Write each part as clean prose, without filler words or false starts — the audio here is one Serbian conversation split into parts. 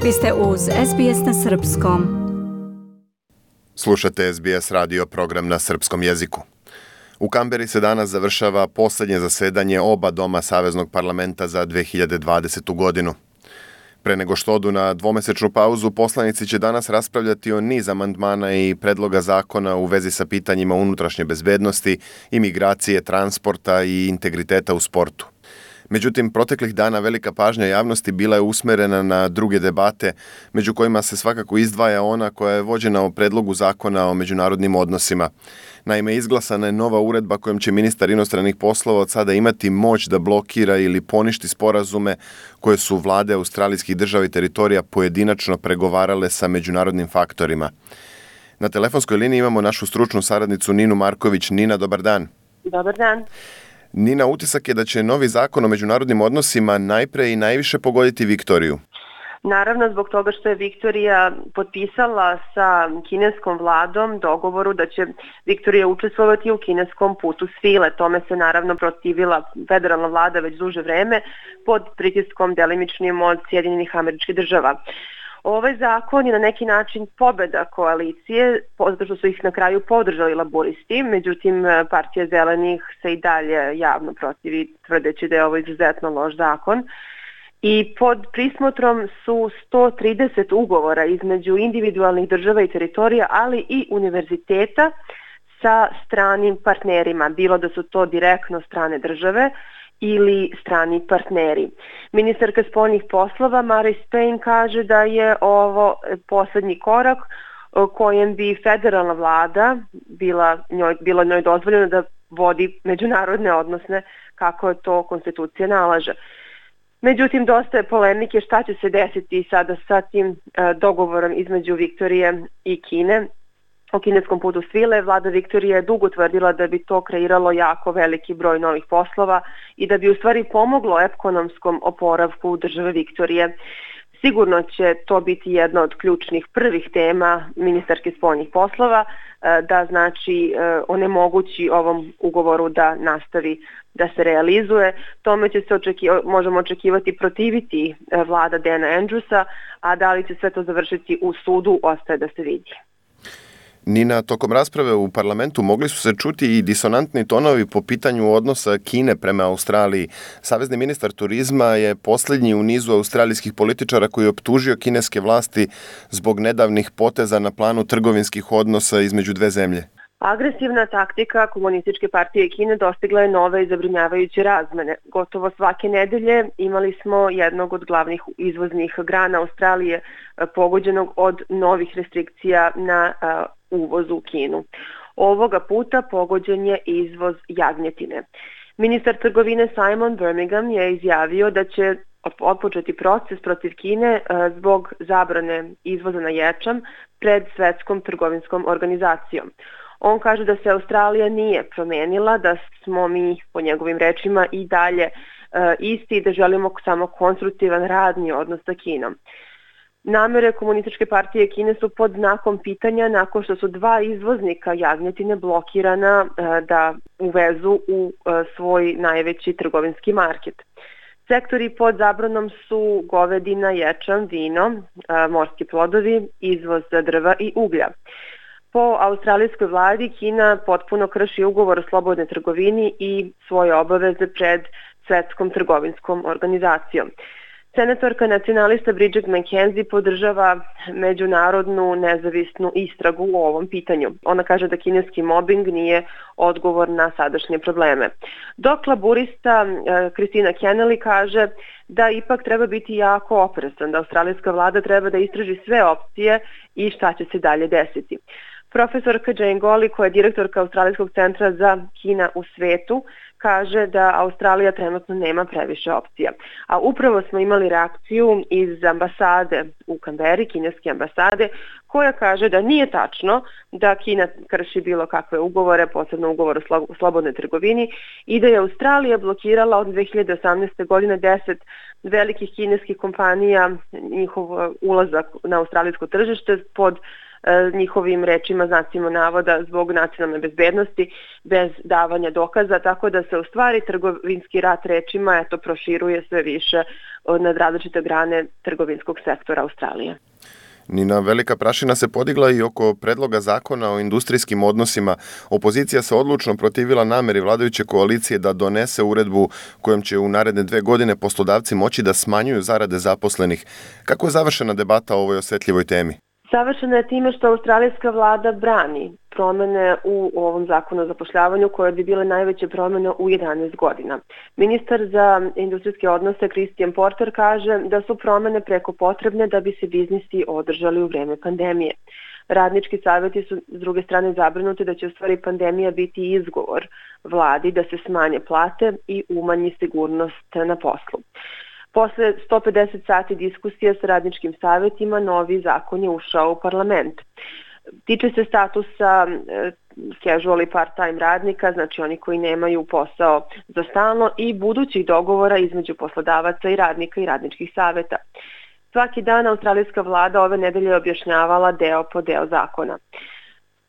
Vi ste uz SBS na Srpskom. Slušate SBS radio program na srpskom jeziku. U Kamberi se danas završava posljednje zasedanje oba doma Saveznog parlamenta za 2020. godinu. Pre nego što odu na dvomesečnu pauzu, poslanici će danas raspravljati o niz amandmana i predloga zakona u vezi sa pitanjima unutrašnje bezbednosti, imigracije, transporta i integriteta u sportu. Međutim, proteklih dana velika pažnja javnosti bila je usmerena na druge debate, među kojima se svakako izdvaja ona koja je vođena o predlogu zakona o međunarodnim odnosima. Naime, izglasana je nova uredba kojom će ministar inostranih poslova od sada imati moć da blokira ili poništi sporazume koje su vlade australijskih država i teritorija pojedinačno pregovarale sa međunarodnim faktorima. Na telefonskoj liniji imamo našu stručnu saradnicu Ninu Marković. Nina, dobar dan. Dobar dan. Nina, utisak je da će novi zakon o međunarodnim odnosima najpre i najviše pogoditi Viktoriju. Naravno, zbog toga što je Viktorija potpisala sa kineskom vladom dogovoru da će Viktorija učestvovati u kineskom putu svile. Tome se naravno protivila federalna vlada već duže vreme pod pritiskom delimičnim od Sjedinjenih Američkih Država. Ovaj zakon je na neki način pobeda koalicije, zato što su ih na kraju podržali laburisti, međutim partija zelenih se i dalje javno protivi, tvrdeći da je ovo izuzetno loš zakon. I pod prismotrom su 130 ugovora između individualnih država i teritorija, ali i univerziteta sa stranim partnerima, bilo da su to direktno strane države ili strani partneri. Ministarka spoljnih poslova Marise Payne kaže da je ovo poslednji korak kojem bi federalna vlada bilo njoj dozvoljeno da vodi međunarodne odnose kako to konstitucija nalaže. Međutim, dosta je polemike šta će se desiti sada sa tim dogovorom između Viktorije i Kine. O kineskom putu svile vlada Viktorije je dugo tvrdila da bi to kreiralo jako veliki broj novih poslova i da bi u stvari pomoglo ekonomskom oporavku države Viktorije. Sigurno će to biti jedna od ključnih prvih tema ministarke spoljnih poslova, da znači onemogući ovom ugovoru da nastavi da se realizuje. Tome će se možemo očekivati protiviti vlada Dana Andrewsa, a da li će sve to završiti u sudu ostaje da se vidi. Nina, tokom rasprave u parlamentu mogli su se čuti i disonantni tonovi po pitanju odnosa Kine prema Australiji. Savezni ministar turizma je posljednji u nizu australijskih političara koji je optužio kineske vlasti zbog nedavnih poteza na planu trgovinskih odnosa između dve zemlje. Agresivna taktika Komunističke partije Kine dostigla je nove i zabrinjavajuće razmene. Gotovo svake nedelje imali smo jednog od glavnih izvoznih grana Australije pogođenog od novih restrikcija na uvoz u Kinu. Ovoga puta pogođen je izvoz jagnjetine. Ministar trgovine Simon Birmingham je izjavio da će otpočeti proces protiv Kine zbog zabrane izvoza na ječam pred Svetskom trgovinskom organizacijom. On kaže da se Australija nije promenila, da smo mi, po njegovim rečima, i dalje isti i da želimo samo konstruktivan radni odnos sa Kinom. Namere Komunističke partije Kine su pod znakom pitanja nakon što su dva izvoznika jagnjetine blokirana da uvezu u svoj najveći trgovinski market. Sektori pod zabranom su govedina, ječam, vino, morski plodovi, izvoz drva i uglja. Po australijskoj vladi Kina potpuno krši ugovor o slobodnoj trgovini i svoje obaveze pred Svetskom trgovinskom organizacijom. Senatorka nacionalista Bridget McKenzie podržava međunarodnu nezavisnu istragu u ovom pitanju. Ona kaže da kineski mobbing nije odgovor na sadašnje probleme. Dok laburista Christina Kennelly kaže da ipak treba biti jako oprezan, da australijska vlada treba da istraži sve opcije i šta će se dalje desiti. Profesorka Jane Golly, koja je direktorka Australijskog centra za Kina u svetu, kaže da Australija trenutno nema previše opcija. A upravo smo imali reakciju iz ambasade u Kamberi, kineske ambasade, koja kaže da nije tačno da Kina krši bilo kakve ugovore, posebno ugovor o slobodnoj trgovini, i da je Australija blokirala od 2018. godine 10 velikih kineskih kompanija njihov ulazak na australijsko tržište pod njihovim rečima, znacima navoda, zbog nacionalne bezbednosti, bez davanja dokaza, tako da se u stvari trgovinski rat rečima proširuje sve više na različite grane trgovinskog sektora Australije. Nina, velika prašina se podigla i oko predloga zakona o industrijskim odnosima. Opozicija se odlučno protivila nameri vladajuće koalicije da donese uredbu kojom će u naredne 2 godine poslodavci moći da smanjuju zarade zaposlenih. Kako je završena debata o ovoj osetljivoj temi? Savršena je time što australijska vlada brani promene u ovom zakonu o zapošljavanju koje bi bile najveće promene u 11 godina. Ministar za industrijske odnose Christian Porter kaže da su promene preko potrebne da bi se biznisi održali u vreme pandemije. Radnički savjeti su s druge strane zabrinuti da će u stvari pandemija biti izgovor vladi da se smanje plate i umanji sigurnost na poslu. Posle 150 sati diskusije sa radničkim savjetima, novi zakon je ušao u parlament. Tiče se statusa casual i part-time radnika, znači oni koji nemaju posao za stalno, i budućih dogovora između poslodavaca i radnika i radničkih savjeta. Svaki dan australijska vlada ove nedelje objašnjavala deo po deo zakona.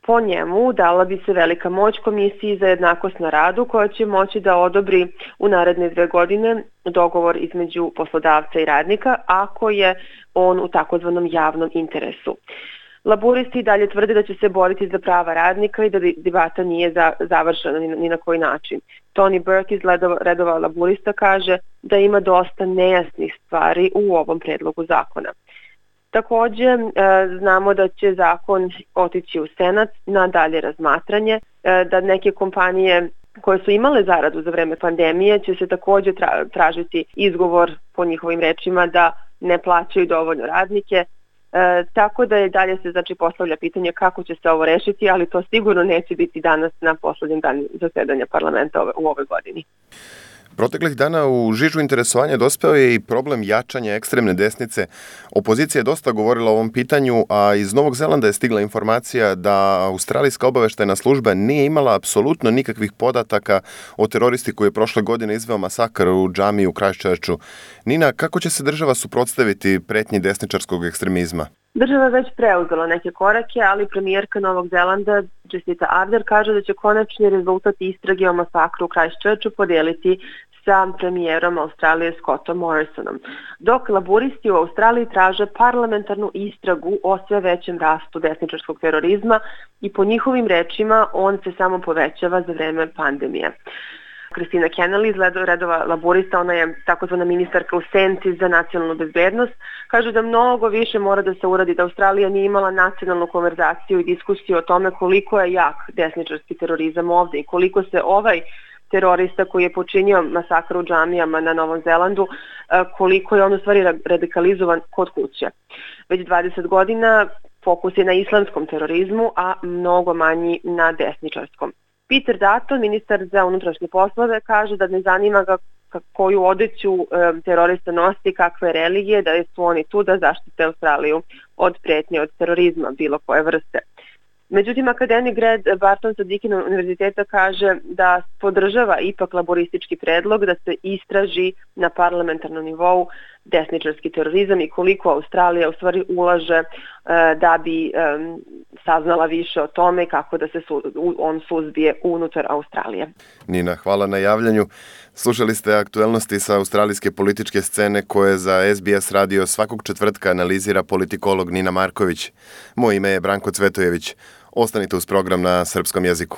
Po njemu dala bi se velika moć Komisiji za jednakost na radu koja će moći da odobri u naredne 2 godine dogovor između poslodavca i radnika ako je on u takozvanom javnom interesu. Laburisti dalje tvrde da će se boriti za prava radnika i da debata nije završena ni na koji način. Tony Burke iz redova laburista kaže da ima dosta nejasnih stvari u ovom predlogu zakona. Također znamo da će zakon otići u Senat na dalje razmatranje, da neke kompanije koje su imale zaradu za vreme pandemije će se također tražiti izgovor po njihovim rečima da ne plaćaju dovoljno radnike, tako da je dalje se postavlja pitanje kako će se ovo rešiti, ali to sigurno neće biti danas na poslednjem danu zasedanja parlamenta u ovoj godini. Proteklih dana u žižu interesovanja dospeo je i problem jačanja ekstremne desnice. Opozicija je dosta govorila o ovom pitanju, a iz Novog Zelanda je stigla informacija da australijska obaveštajna služba nije imala apsolutno nikakvih podataka o teroristi koji je prošle godine izveo masakr u džamiji u Christchurchu. Nina, kako će se država suprotstaviti pretnji desničarskog ekstremizma? Država je već preuzela neke korake, ali premijerka Novog Zelanda Jacinda Ardern kaže da će konačni rezultat istrage o masakru u Christchurchu podeliti sa premijerom Australije Scottom Morrisonom. Dok laburisti u Australiji traže parlamentarnu istragu o sve većem rastu desničarskog terorizma i po njihovim rečima on se samo povećava za vreme pandemije. Kristina Kennelly iz redova laburista, ona je takozvana ministarka u senci za nacionalnu bezbednost, kaže da mnogo više mora da se uradi, da Australija nije imala nacionalnu konverzaciju i diskusiju o tome koliko je jak desničarski terorizam ovde i koliko se ovaj terorista koji je počinio masakr u džamijama na Novom Zelandu, koliko je on u stvari radikalizovan kod kuće. Već 20 godina fokus je na islamskom terorizmu, a mnogo manji na desničarskom. Peter Dutton, ministar za unutrašnje poslove, kaže da ne zanima ga koju odeću terorista nosi, kakve religije, da su oni tu da zaštite Australiju od pretnje od terorizma bilo koje vrste. Međutim, akademik Greg Barton sa Deakin univerziteta kaže da podržava ipak laboristički predlog da se istraži na parlamentarnom nivou desničarski terorizam i koliko Australija u stvari ulaže da bi saznala više o tome kako da se on suzbije unutar Australije. Nina, hvala na javljanju. Slušali ste aktuelnosti sa australijske političke scene koje za SBS radio svakog četvrtka analizira politikolog Nina Marković. Moje ime je Branko Cvetojević. Ostanite uz program na srpskom jeziku.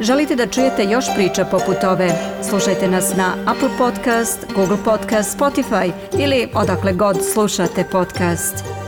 Želite da čujete još priča poput ove? Slušajte nas na Apple Podcast, Google Podcast, Spotify ili odakle god slušate podcast.